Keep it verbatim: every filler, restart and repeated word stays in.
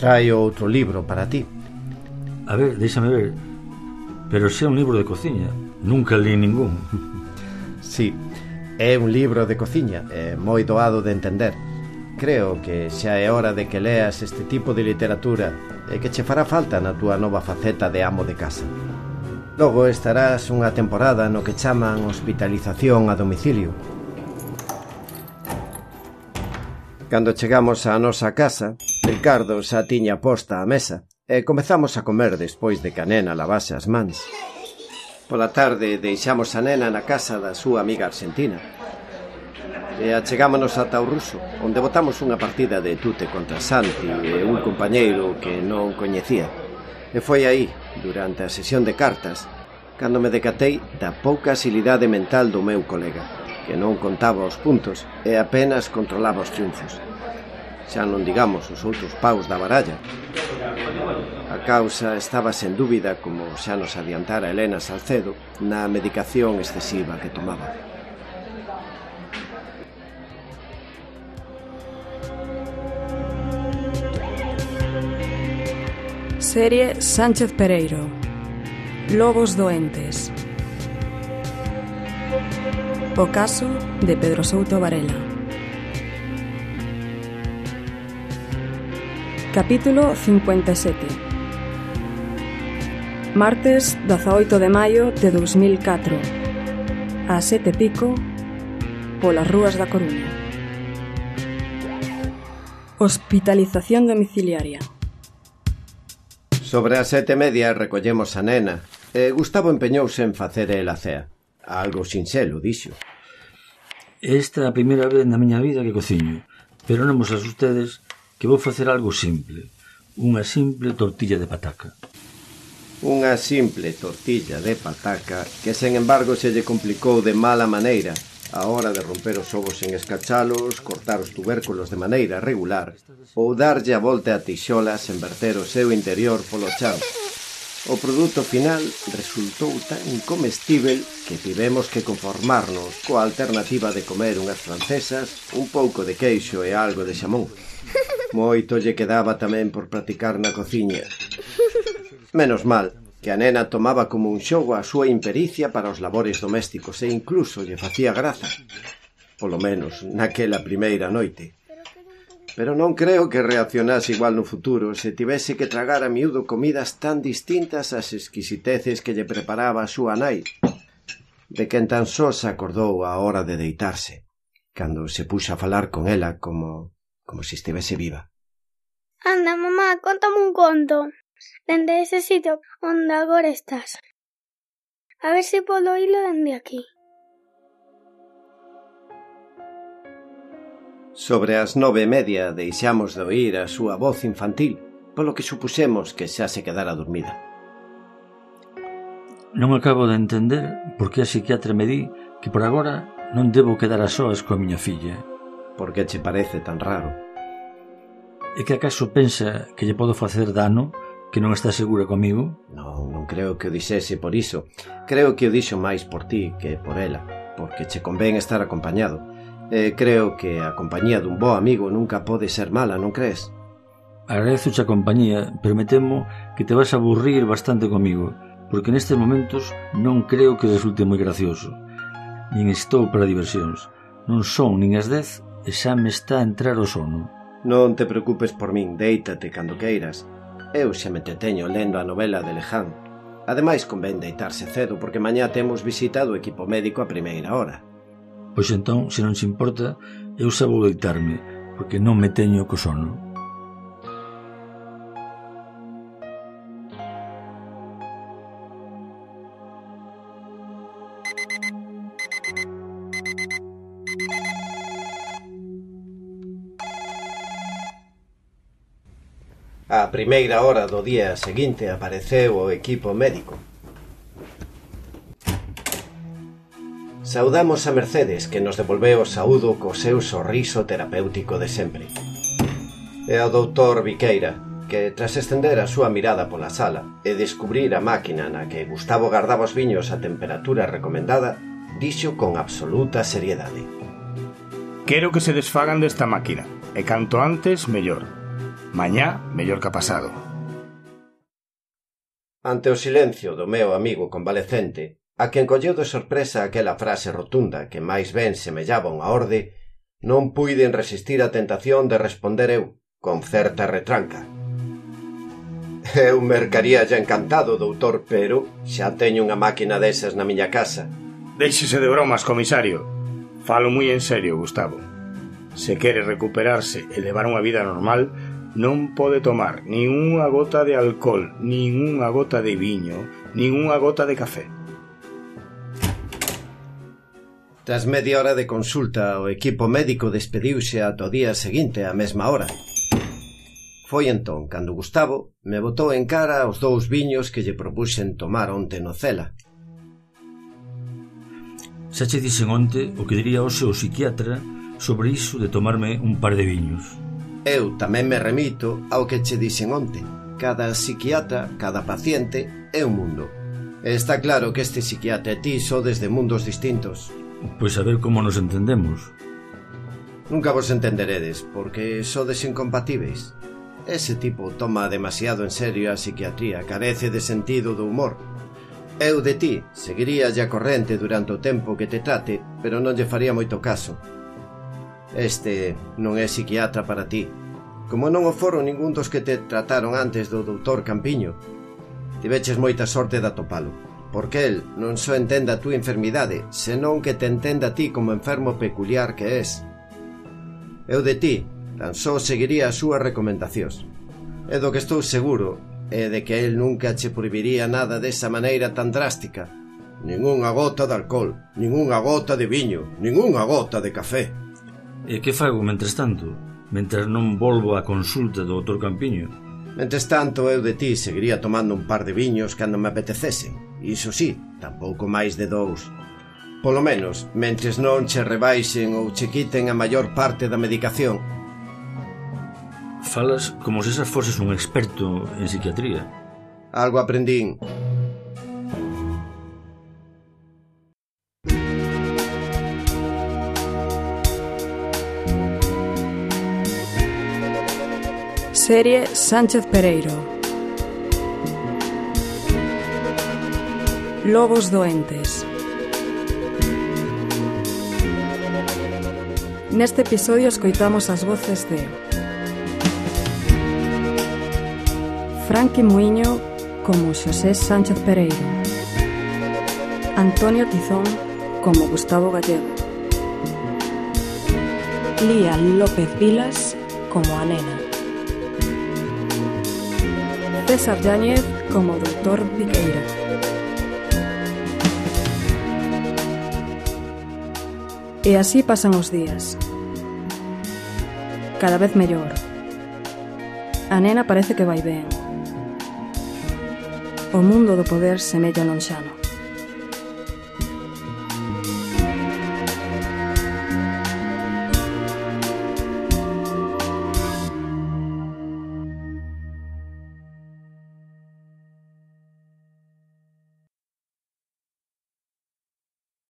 Traio outro libro para ti. A ver, déxame ver. Pero se é un libro de cociña. Nunca li ningún. Sí, é un libro de cociña, é moi doado de entender. Creo que xa é hora de que leas este tipo de literatura e que che fará falta na túa nova faceta de amo de casa. Logo estarás unha temporada no que chaman hospitalización a domicilio. Cando chegamos á nosa casa, Ricardo xa tiña posta a mesa e comezamos a comer despois de que a nena lavase as mans. Pola tarde deixamos a nena na casa da súa amiga argentina e achegámonos ata o ruso, onde botamos unha partida de tute contra Santi e un compañeiro que non coñecía. E foi aí, durante a sesión de cartas, cando me decatei da pouca asilidade mental do meu colega, que non contaba os puntos e apenas controlaba os triunfos. Xa non digamos os outros paus da baralla. A causa estaba sen dúbida, como xa nos adiantara Elena Salcedo, na medicación excesiva que tomaba. Serie Sánchez Pereiro. Lobos doentes. O caso de Pedro Souto Varela. Capítulo cincuenta e sete. Martes dezaoito de maio de dous mil catro. Ás sete pico, polas rúas da Coruña. Hospitalización domiciliaria. Sobre as sete e media recollemos a nena e Gustavo empeñouse en facer el a cea. Algo sinxelo, dixo. Esta é a primeira vez na miña vida que cociño, pero non vos asustedes que vou facer algo simple, unha simple tortilla de pataca. Unha simple tortilla de pataca que, sen embargo, se lle complicou de mala maneira a hora de romper os ovos en escachalos, cortar os tubérculos de maneira regular ou darlle a volta a tixolas en verter o seu interior polo chan. O produto final resultou tan incomestível que tivemos que conformarnos coa alternativa de comer unhas francesas, un pouco de queixo e algo de xamón. Moito lle quedaba tamén por practicar na cociña. Menos mal que a nena tomaba como un xogo a súa impericia para os labores domésticos e incluso lle facía graza. Polo menos naquela primeira noite. Pero non creo que reaccionase igual no futuro se tivese que tragar a miúdo comidas tan distintas ás exquisiteces que lle preparaba a súa nai, de quen tan só se acordou a hora de deitarse, cando se puxa a falar con ela como, como se estivese viva. Anda, mamá, contame un conto. Dende ese sitio onde agora estás. A ver se podo oílo dende aquí. Sobre as nove e media deixamos de oír a súa voz infantil, polo que supusemos que xa se quedara dormida. Non acabo de entender por que a psiquiatra me di que por agora non debo quedar a soas coa miña filla. Por que che parece tan raro? É que acaso pensa que lle podo facer dano, que non está segura comigo? Non, non creo que o dixese por iso. Creo que o dixo máis por ti que por ela, porque che convén estar acompañado. E creo que a compañía dun bo amigo nunca pode ser mala, non crees? Agradezoche a compañía, pero me temo que te vas a aburrir bastante comigo, porque nestes momentos non creo que resulte moi gracioso. Nin estou para diversións. Non son nin as dez e xa me está a entrar o sono. Non te preocupes por min, déitate cando queiras. Eu xa me entreteño lendo a novela de Leján. Ademais, convén deitarse cedo porque mañá temos visita do equipo médico a primeira hora. Pois entón, se non se importa, eu xa vou deitarme, porque non me teño co sono. A primeira hora do día seguinte apareceu o equipo médico. Saudamos a Mercedes, que nos devolveu o saúdo co seu sorriso terapéutico de sempre. E ao doutor Viqueira, que tras estender a súa mirada pola sala e descubrir a máquina na que Gustavo gardaba os viños a temperatura recomendada, dixo con absoluta seriedade: Quero que se desfagan desta máquina, e canto antes, mellor. Mañá, mellor que pasado. Ante o silencio do meu amigo convalecente, a quen colleu de sorpresa aquela frase rotunda que máis ben semellaba unha orde, non puiden resistir a tentación de responder eu, con certa retranca. Eu mercaría xa encantado, doutor, pero xa teño unha máquina desas na miña casa. Déixese de bromas, comisario. Falo moi en serio, Gustavo. Se quere recuperarse e levar unha vida normal, non pode tomar nin unha gota de alcohol, nin unha gota de viño, nin unha gota de café. Tras media hora de consulta, o equipo médico despediuse ata o día seguinte á mesma hora. Foi entón cando Gustavo me botou en cara os dous viños que lle propuxen tomar onte no Cela. Xa che dixen onte o que diría hoxe o psiquiatra sobre iso de tomarme un par de viños. Eu tamén me remito ao que che dixen onte. Cada psiquiatra, cada paciente é un mundo. E está claro que este psiquiatra e ti sodes de mundos distintos. Pois a ver como nos entendemos. Nunca vos entenderedes, porque sodes incompatíveis. Ese tipo toma demasiado en serio a psiquiatría, carece de sentido do humor. Eu de ti seguiría a corrente durante o tempo que te trate, pero non lle faría moito caso. Este non é psiquiatra para ti, como non o foron ningún dos que te trataron antes do doutor Campiño. Tiveches moita sorte de atopalo, porque el non só entenda a túa enfermidade, senón que te entenda a ti como enfermo peculiar que és. Eu de ti tan só seguiría as súas recomendacións. E do que estou seguro é de que el nunca che prohibiría nada desa maneira tan drástica. Ninguna gota de alcohol, ninguna gota de viño, ninguna gota de café. E que fago, mentres tanto? Mentres non volvo á consulta do doutor Campiño? Mentres tanto, eu de ti seguiría tomando un par de viños cando me apetecesen. Iso sí, tampouco máis de dous. Polo menos, mentres non che rebaixen ou che quiten a maior parte da medicación. Falas como se esas foses un experto en psiquiatría. Algo aprendín. Serie Sánchez Pereiro. Lobos doentes. Neste episodio escoitamos as voces de Franqui Muiño como Xosé Sánchez Pereiro, Antonio Tizón como Gustavo Gallego, Lía López Vilas como a Nena, César Yáñez como doutor Viqueira. E así pasan os días. Cada vez mellor. A nena parece que vai ben. O mundo do poder semella lonxano.